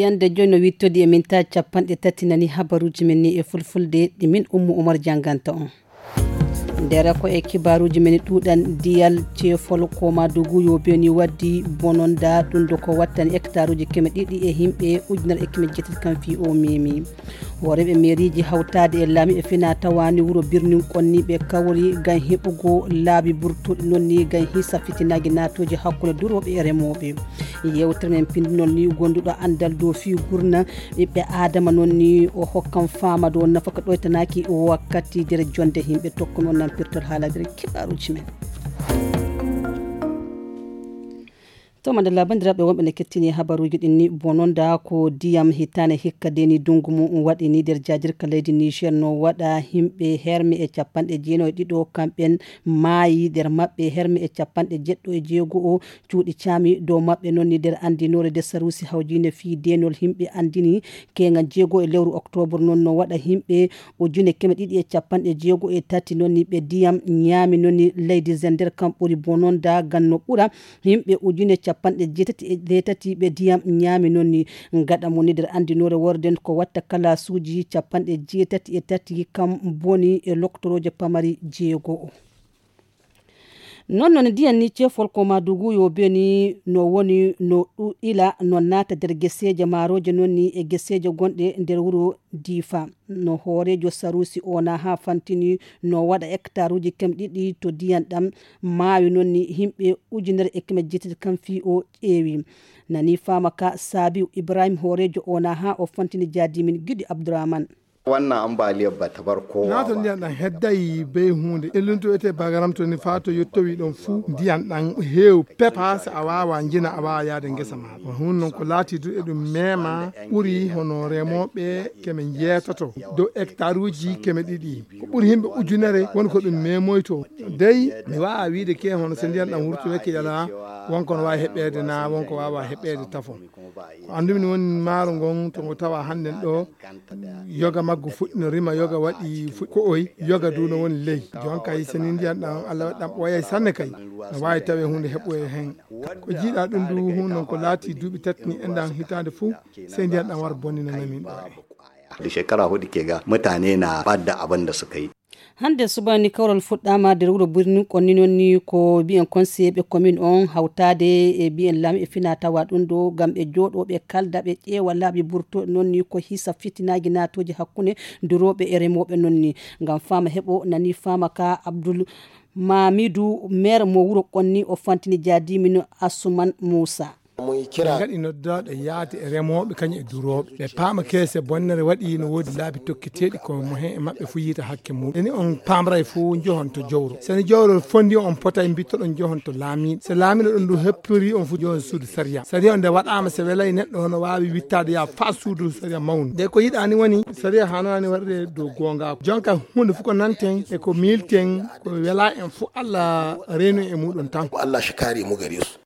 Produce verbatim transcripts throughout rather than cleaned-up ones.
Ñande joyi no wittodi e minta capanɗe tati nani habaruuji men ni e fulfulde ɗi min Ummu Umar jannganta on. Ndera ko e kibaaruuji men ɗuuɗan diyal ceefol ko ma dugu yo beni waddi bononda ɗum do ko wattani hectaruuji keme ɗiɗi e himɓe ujunere e keme jeetati kam fii o memi. Hooreeɓe meeriiji hawtaade e laamiiɓe fina tawani wuro birnin konni ɓe kawri ngam heɓugo laabi burtuɗi noon ni ngam hisa fitinaaji naatooji hakkunde durooɓe e remooɓe. Yewtere men pindunol ni gonduɗo anndal dow fii gurna ɓiɓɓe aadama noon ni o hokkan faama dow nafaka ɗoytanaaki wakkati nder jonde himɓe tokkuno nan pirtol haala nder kibaaruuji men. To madalla banndiraaɓe wonɓe ne kettini habaruuji ɗin ni bononda ko diyam hitaane hikka deni dungu mum waɗi ni nder jaajirka leydi Niger no waɗa himɓe herme e capanɗe jeenayi e ɗiɗo kamɓen maayi nder maɓɓe herme e capanɗe jeɗɗo e jeego o cuuɗi caami dow maɓɓe noon ni nder anndinoore nder saruusi hawjiinde fii deenol himɓe anndini keeŋa jeego e lewru oktoobar noon no waɗa himɓe ujune keme ɗiɗi e capanɗe jeego e tati noon ni ɓe diyam ñaami noon ni leydi zender kam ɓuri bononda ganno ɓura yimɓe ujune capanɗe jeetati e jeetati ɓe diyam ñaami noon ni gaɗa mo ni nder anndinoore worden ko watta kalasuuji capanɗe jeetati e tati kam boni e loktorooje pamari jeego o. Noon noon ndiyan ni ceefol ko madugu yo beni no woni no ɗuɗila no naata nder geseeje maarooje noon ni e geseeje gonɗe nder wuro diifa no hooreejo saruusi ona haa fantini no waɗa hectaruuji kem ɗiɗi to ndiyan ɗam maawi noon ni yimɓe ujunere e keme jeetati kam fii o ƴeewi nani faama ka saabiw ibrahim hooreejo ona haa o fantini jaadimin giɗi abdourahman. Wannan ambaliyar ba ta bar kowa nato ba ndiyan ɗan hedday bey huunde ellunto ete bagaram to ni faa to yottowi ɗon fuu ndiyan ɗan heew pepa si a waawa njina a waawa yaade ngesa ma. Ko hun non ko laati du eɗum meema ɓuri hono remooɓe keme njeetoto dow hectaruuji keme ɗiɗi ko ɓuri himɓe ujunere woni ko ɗum meemoyto. Dey mi waawa wiide ke hono so ndiyan ɗan wurtoyake yalaa wonko no waawi heɓeede naa wonko waawa heɓeede tafo. Ko anndumi ni woni maaro ngon to ngo tawa hannden ɗo yoga maggu fuɗɗi no rima yoga waɗi fuɗɗi ko oy yoga du no woni ley. Jon kay so ni ndiyan ɗan allah waɗi ɗan ɓooyay sanne kay no waawi tawe huunde heɓɓoye heen. Ko jiiɗa ɗum du hun non ko laati duuɓi tati ni enɗan hitaande fuu sey ndiyan ɗan war bonnina namin ɗo e. Da shekara hudu ke ga mutane na ɓadda abin da suka yi. Hannde subaka ni kawral fuɗɗaama nder wuro birnin konni noon ni ko mbiyen conseiller ɓe commune on hawtaade e mbiyen laamiiɓe fina tawa ɗum ɗo ngam ɓe jooɗo ɓe kalda ɓe ƴeewa laabi burtooɗi noon ni ko hisa fitinaaji naatooji hakkunde durooɓe e remooɓe noon ni ngam faama heɓo nani faama ka abdoul mamidou maire mo wuro konni o fantini jaadimin asuman moussa. Min ngaɗi noddaaɗo yaade e remooɓe kañum e durooɓe ɓe paama keese bonnere waɗi no woodi laabi tokketeeɗi ko mo heen e maɓɓe fuu yiita hakke muɗum eni on paamray fuu njohon to jowro seni jowro fondi on potay mbittoɗon njohon to laamiiɗo so laamiiɗo ɗum ɗum heppori on fuu njohon suudu sariya sariya on nde waɗaama so welay neɗɗo hono waawi wittaade yaa faa suudu sariya mawndu nde ko yiɗaani woni sariya hanaani waɗde dow goongaako jonka huunde fof ko nanten e ko miilten ko welaa en fof allah reenu e muɗum tan ko allah shikari mu gari su.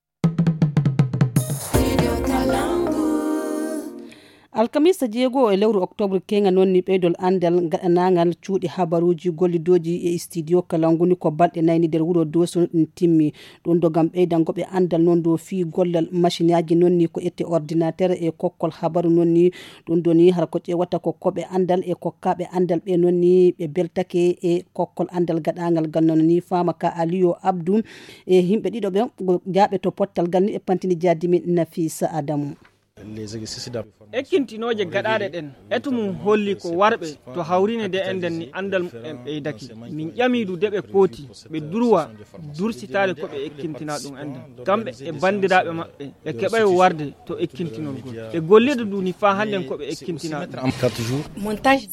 Alkamisa jeego e lewru oktoobre keeŋa noon ni ɓeydol anndal gaɗanaangal cuuɗi habaruuji gollidooji e studio kalanguni ko balɗe nayni nder wuro doso ɗum timmi ɗum do ngam ɓeydango ɓe anndal noon do fii gollal machineaji noon ni ko ette ordinateur e kokkol habaru noon ni ɗum do ni har ko ƴeewata ko koɓe anndal e kokkaaɓe anndal ɓe noon ni ɓe beltake e kokkol anndal gaɗaangal ngal noon ni faama ka aliyo abdou e yimɓe ɗiɗo ɓe jaaɓe to pottal ngal ni e pantini jaadimi nafisa adamu. Ekkintinooje gaɗaaɗe ɗen etu mum holli ko warɓe to hawrine nde enɗen ni anndal mumen ɓeydake min ƴami du de ɓe kooti ɓe durwa dursitaade ko ɓe ekkintina ɗum enɗen kamɓe e banndiraaɓe maɓɓe ɓe keɓay warde to ekkintinol ngol ɓe gollida du ni faa hannden ko ɓe ekkintina ɗum.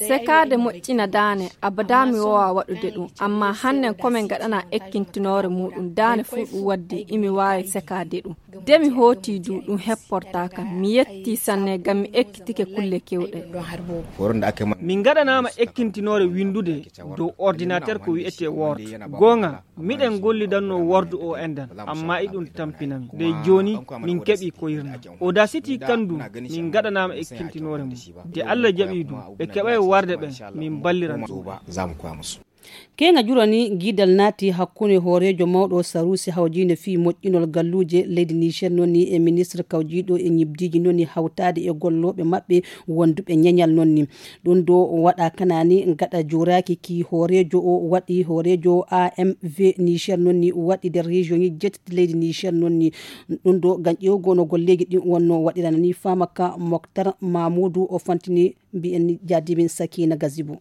Sekaade moƴƴina daane abada mi wowa waɗude ɗum amma hannden ko min ngaɗana ekkintinoore muɗum daane fuu ɗum waddi imi waawi sekaade ɗum. De mi hooti du ɗum hepportaa kam mi yettii sanne ngam mi ekkitike kulle keewɗe. Min ngaɗanaama ekkintinoore winndude dow ordinateur ko wi'etee word goonga miɗen gollidanno word o enɗan amma iɗum tampinami de jooni min keɓii koyirna audacity kan du min ngaɗanaama ekkintinoore mum de allah jaɓii du ɓe keɓay warde ɓen min balliran. Keeŋa jurani giidal naati hakkunde hooreejo mawɗo saruusi hawjiinde fii moƴƴinol galluuje leydi Niger noon ni e ministre kawjiiɗo e ñibdiiji noon ni hawtaade e gollooɓe maɓɓe wonduɓe ñeñal noon ni. Ɗum ɗo waɗa kanaani gaɗa jooraaki ki hooreejo o waɗi hooreejo A M V Niger noon ni waɗi nder région ji jeetati leydi Niger noon ni. Ɗum ɗo gam ƴeewgol no golleeji ɗin wonno waɗirana ni faama ka Moktar Mamoudou o fantini mbiyen ni jaadimin Sakina Gazibo.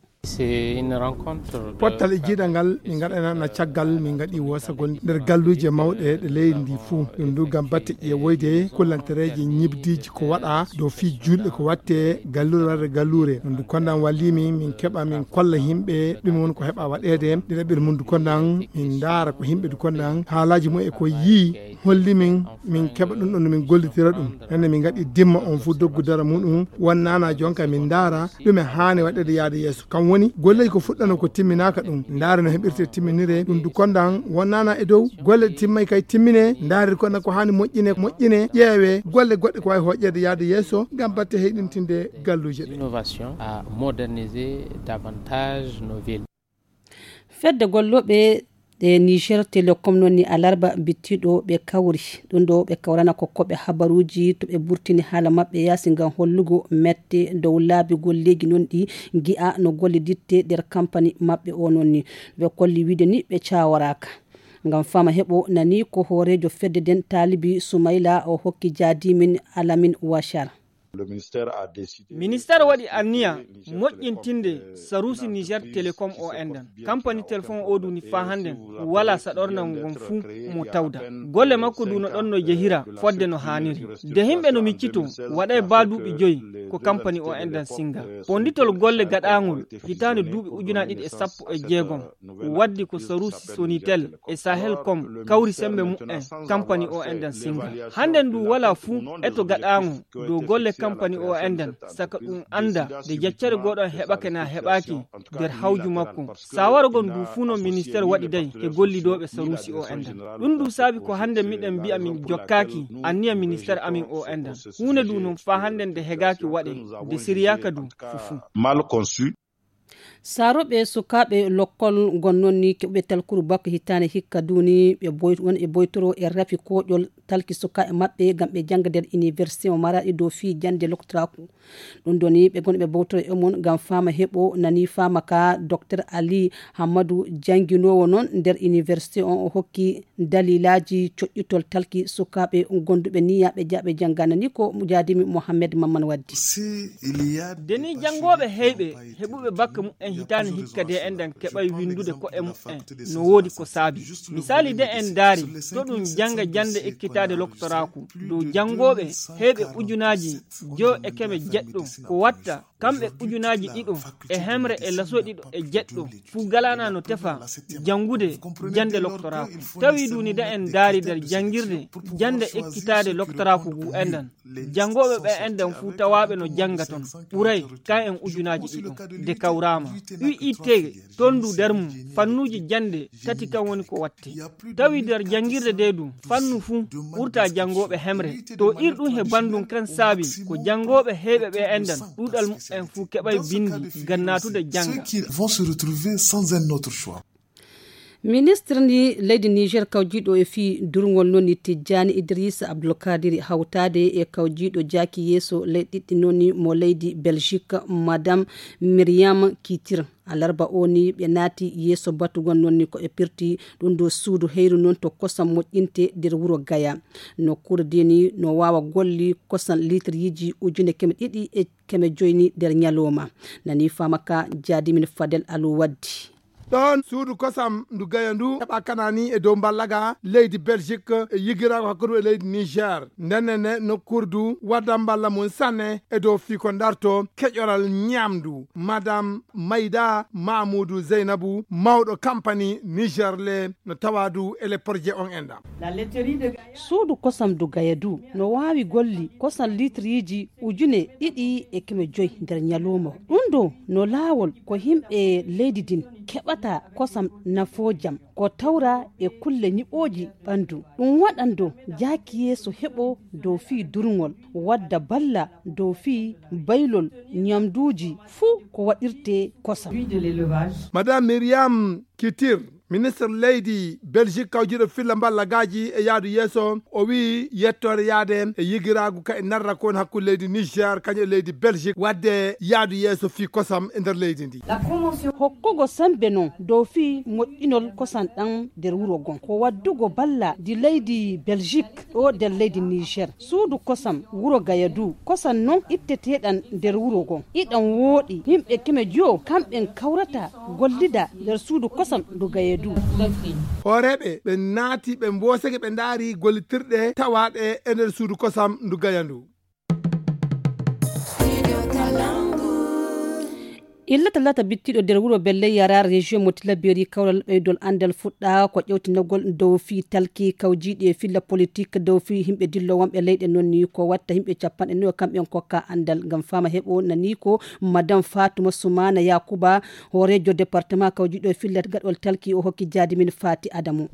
Pottal e jiiɗal ngal min ngaɗanana caggal min ngaɗi wosagol nder galluuje mawɗe ɗe leydi ndi fuu. Ɗum ndu ngam batte ƴeewoyde kullantereeje ñibdiiji ko waɗa dow fii juulɗe ko watte galluure warde galluure. Ɗum ndu kondan wallimi min keɓa min kolla yimɓe ɗum woni ko heɓa waɗeede. Ɗiɗaɓel mum ndu kondan min ndaara ko yimɓe ndu kondan haalaaji mum e ko yii holli min min keɓa ɗum ɗon no min gollitira ɗum. Nande min ngaɗi dimma on fuu doggu dara muɗum wonnana jonka min ndaara ɗume haani waɗeede yaade yeeso. Kam woni golleeji ko fuɗɗano ko timminaaka ɗum ndaare no heɓirte timminire ɗum du kondan wonnana e dow golle ɗe timmay kay timmine ndaare du kondan ko haani moƴƴine moƴƴine ƴeewe golle goɗɗe ko wawi hoƴƴeede yaade yeeso ngam batte heyɗintinde galluuje ɗe. Innovation à moderniser davantage nos villes. Fedde gollooɓe ɗe Niger Telecom noon ni alarba bittiɗo ɓe kawri. Ɗum ɗo ɓe kawrana ko koɓe habaruuji to ɓe burtini haala maɓɓe yaasi ngam hollugo mette dow laabi golleeji noon ɗi gi'a no golle ditte nder kampani maɓɓe o noon ni. Ɓe kolli wiide ni ɓe caworaaka. Ngam fama heɓo nani ko hooreejo fedde nden taalibi Sumayla o hokki jaadimin Alamin Washar. Ministeer waɗi anniya moƴƴintinde saruusi Niger Telecom o enɗan. Kampani telefon o duni faa hannden wala saɗornal ngon fuu mo tawda. Golle makko du no ɗon no jehira fodde no haaniri. De himɓe no miccito waɗay baa duuɓi joyi ko kampani o enɗan singa. Ponditol golle gaɗaangol hitaande duuɓi ujunaaji ɗiɗi e sappo e jeegom waddi ko saruusi Sonitel e Sahelcom kawri sembe mu'en kampani o enɗan singa. Hannden du wala fuu eto gaɗaango dow golle kampani o enɗan saka ɗum annda de jaccere gooɗo heɓake na heɓaaki nder hawju makko. Sawaragol ndu fuu no ministeer waɗi day e gollidooɓe saruusi o enɗan. Ɗum ndu saabi ko hannde miɗen mbi'a min jokkaaki anniya ministeer amin o enɗan. Huunde du non faa hannde nde hegaaki waɗe de siriyaaka du fufuu. Mal conçu. Saarooɓe sukaaɓe lokkol gonnoon ni keɓuɓe talkuru bakko hitaande hikka duuni ɓe boy- won e boytoro e rafi kooƴol talki sukaaɓe maɓɓe ngam ɓe jannga nder iniwersite mo maraɗi dow fii jannde loktoraaku. Ɗum ɗo ni ɓe gonɓe bowtoro e mum ngam faama heɓo nani faama ka Docteur Ali Hammadou jannginoowo noon nder iniwersite on o hokki dalilaaji coƴƴitol talki sukaaɓe gonduɓe niya ɓe jaaɓe jannga nani ko jaadimi Mohammed Mamman waddi. Deni janngooɓe heyɓe heɓuɓe bakka mu'en hitaande hikka de enɗan keɓay winndude ko'e mu'en no woodi ko saabi. Misaali de en ndaari to ɗum jannga jannde ekkitaade loktoraaku dow janngooɓe heyɓe ujunaaji joyo e keme jeɗɗo ko watta kamɓe ujunaaji ɗiɗo e hemre e laso ɗiɗo e jeɗɗo fuu galana no tefa janngude jannde loktoraaku. Tawi duni de en ndaari nder janngirde jannde ekkitaade loktoraaku ngu enɗan. Janngooɓe ɓe enɗan fuu tawaaɓe no jannga ton ɓuray kan en ujunaaji ɗiɗo de kawraama. U I T ton du nder mum fannuuji jannde tati kan woni ko watte. Tawi nder janngirde de du fannu fuu ɓurta janngooɓe hemre. To irɗum he banndum kan saabi ko janngooɓe heyɓe ɓe enɗan ɗuuɗal mu'en fuu keɓay binndi ngam naatude jannga. Ceux qui vont se retrouver sans un autre choix. Ministre ndi leydi Niger kawjiiɗo e fii durngol noon ni Tijjani Idrissa Abdulkadiri hawtaade e kawjiiɗo jaaki yeeso leyɗe ɗiɗi noon ni mo leydi Belgique Madame Myriam Kitir. Alarba o ni ɓe naati yeeso batugol noon ni ko ɓe pirti ɗum ɗo suudu heyru noon to kosam moƴƴinte nder wuro Gaya. Nokkuure de ni no waawa golli kosam litriiji ujune keme ɗiɗi e keme joyi ni nder ñalooma. Nani faama ka jaadimin Fadel Alou waddi. Ɗon suudu kosam ndu Gaya ndu heɓa kanani e dow mballaga leydi Belgique e yigiraago hakkunde e leydi Niger. Ndenne ne nokkuure du wadda mballa mum sanne e dow fii ko darto keƴoral ñamdu. Madame Mayda Mamoudou Zeynabu, mawɗo kampani Niger le no tawa du e le projet on enɗam. Suudu kosam du Gaya du no waawi golli kosam litriiji ujune ɗiɗi e keme joyi nder ñalooma. Ɗum ɗo no laawol ko yimɓe leydi din keɓata kosam nafoojam ko tawra e kulle ñiɓooji ɓanndu. Ɗum waɗan dow jaaki yeeso heɓo dow fii durngol, wadda balla dow fii baylol ñamduuji fuu ko waɗirtee kosam. Madame Myriam Kitir, ministre leydi Belgique kawjiiɗo filla mballagaaji e yaadu yeeso, o wi'i yettoore yaade e yigiraagu ka e narra ko woni hakkunde leydi Niger kañum e leydi Belgique wadde yaadu yeeso fii kosam e nder leydi ndi. Hokkugo sembe non dow fii moƴƴinol kosam ɗam nder wuro gon ko waddugo balla di leydi Belgique ɗo nder leydi Niger. Suudu kosam wuro Gayadu, kosam non itteteɗam nder wuro gon. Iɗam wooɗi, yimɓe keme juwo kamɓen kawrata gollida nder suudu kosam ndu Gayadu. Hooreeɓe ɓe naati ɓe mboosake ɓe ndaari gollitirɗe tawaaɗe e nder suudu kosam ndu Gayadu. Illa talata bittiɗo nder wuro Belle Yara, région mo Tilaberi, kawral ɓeydol anndal fuɗɗa ko ƴewtinagol dow fii talki kawjiiɗi e filla politik dow fii yimɓe dillo wonɓe leyɗe non ni ko watta yimɓe capanɗe nayo kamɓen kokka anndal. Ngam fama heɓo nani ko Madame Fatuma Sumana Yakuba, hoorejo département kawjiiɗo e filla gaɗol talki, o hokki jaadi min Fati Adamu.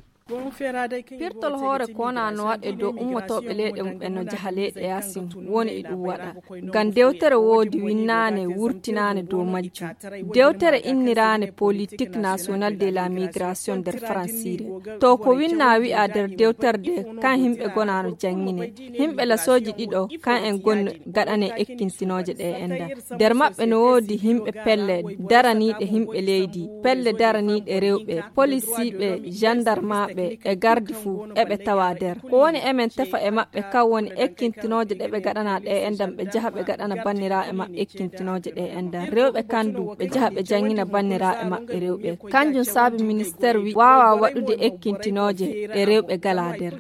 Pirtol hoore kona no waɗe dow ummotoɓe leyɗe mum ɓe no jaha leyɗe yasin woni e ɗum waɗa. Ngam dewtere woodi winnaane wurtinaane dow majjum. Dewtere inniraane Politique Nationale de la Migration nder Faransiire. To ko winna wi'a nder dewtere de kan himɓe gona no janngine. Himɓe lasooji ɗiɗo kan en gon gaɗane ekkintinooje ɗe enda. Nder maɓɓe no woodi himɓe pelle daraniiɗe himɓe leydi, pelle daraniiɗe rewɓe, polisiiɓe, jandarmaaɓe e gardi fuu eɓe tawa nder. Ko woni emen tefa e maɓɓe kan woni ekkintinooje ɗe ɓe gaɗana ɗe endan ɓe jaha ɓe gaɗana banniraaɓe maɓɓe ekkintinooje ɗe endan. Rewɓe kan du ɓe jaha ɓe janngina banniraaɓe maɓɓe rewɓe. Kanjum saabi ministeer wi waawa waɗude ekkintinooje ɗe rewɓe gala nder.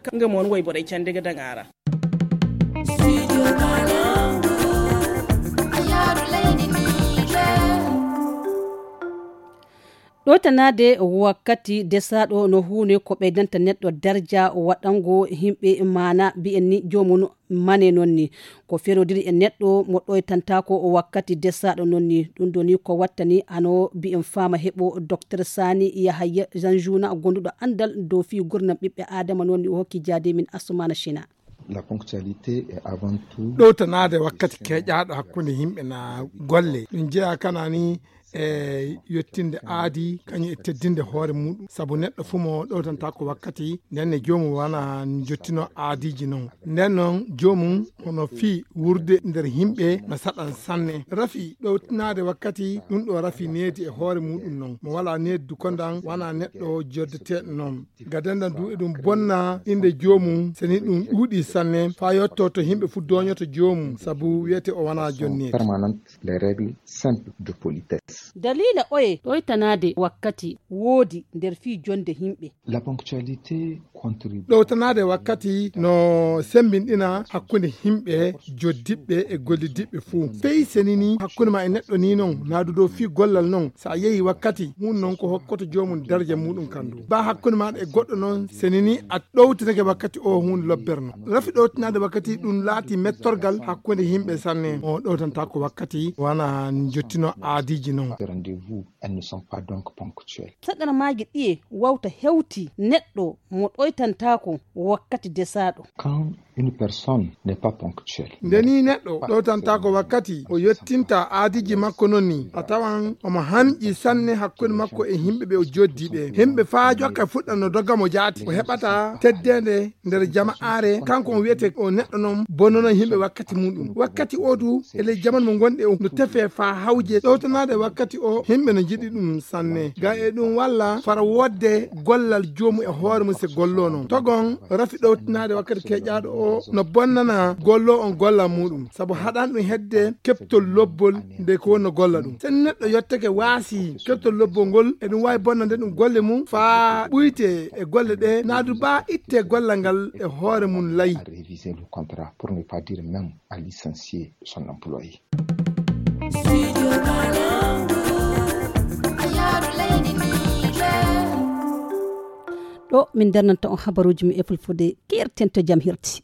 Ɗowtanaade wakkati desaaɗo no huunde ko ɓeydanta neɗɗo darja waɗango himɓe maana mbi'en ni joomum mane non ni. Ko ferodiri e neɗɗo mo ɗoytantaako wakkati desaaɗo non ni. Ɗum ɗo ni ko wattani ano mbi'en faama heɓo Docteur Sani Yahaya Zanjuna gonduɗo anndal dow fii gurnam ɓiɓɓe Aadama non ni o hokki jaade min Asumana Shina. La ponctualité est avant tout. Ɗowtanaade wakkati keeƴaaɗo hakkunde yimɓe na golle. Ɗum jeyaa kana ni e yettinde aadi, kañum e teddinde hoore muɗum. Sabu neɗɗo fuu mo ɗowtantaako wakkati, nden ne joomum wana jottino aadiiji non. Nden non joomum hono fii wurde nder yimɓe no saɗan sanne. Rafi ɗowtanaade wakkati, ɗum ɗo rafi needi e hoore muɗum non. Mo walaa needi du kondan wana neɗɗo joddeteeɗo non. Gadandan du eɗum bonna innde joomum, seni ɗum ɗuuɗi sanne, faa yotto to yimɓe fuu doonyoto joomum, sabu wiyete o wanaa jonneede. Permanente, les règles simples de politesse. Daliila oye ɗoytanaade wakkati woodi nder fii jonde yimɓe. La ponctualité contribue. Ɗowtanaade wakkati no semmbinɗina hakkunde yimɓe joddiɓɓe e gollidiɓɓe fuu. Fey senini hakkunde ma e neɗɗo ni non, naadu dow fii gollal non, so a yehi wakkati, hun non ko hokkoto joomum daraja muɗum kandu. Ba hakkunde maaɗa e goɗɗo non, senini a ɗowtinake wakkati o hun lobberno. Rafi ɗowtinaade wakkati ɗum laati mettorgal hakkunde yimɓe sanne. O ɗowtantaako wakkati wana jottino aadiiji non. Rendez-vous, elles ne sont pas donc ponctuelles. Saɗanamaaji ɗiye wawta hewti neɗɗo mo ɗoytantaako wakkati desaaɗo. Quand une personne n'est pas ponctuelle. Nde ni neɗɗo ɗowtantaako wakkati, o yottinta aadiiji makko non ni, a tawan omo hanƴi sanne hakkunde makko e yimɓe ɓe o joddi ɓe. Yimɓe faa jokka fuɗɗa no dogga mo jaati, o heɓata teddeende nder jama'aare, kanko on wiyete o neɗɗo non bonnono yimɓe wakkati muɗum. Wakkati o du, e ley jamanu mo ngonɗe o, no tefe faa hawje ɗowtanaade wakkati o, yimɓe no njiɗi ɗum sanne. Ga e ɗum walla fara wodde gollal joomu e hoore mum se gollo non. Togon rafi ɗowtinaade wakkati keƴaaɗo o no bonnana gollo on gollal muɗum. Sabu haɗan ɗum hedde keɓtol lobbol nde ko wonno golla ɗum. Sen neɗɗo yottake waasi keɓtol lobbol ngol, e ɗum waawi bonnande ɗum golle mum faa ɓuyte e golle ɗe, naadu baa itte gollal ngal e hoore mum lay. À réviser le contrat, pour ne pas dire même à licencier son employé. Ɗo min darnanta on habaruuji mi e fulfulde, keerten to jam hirti.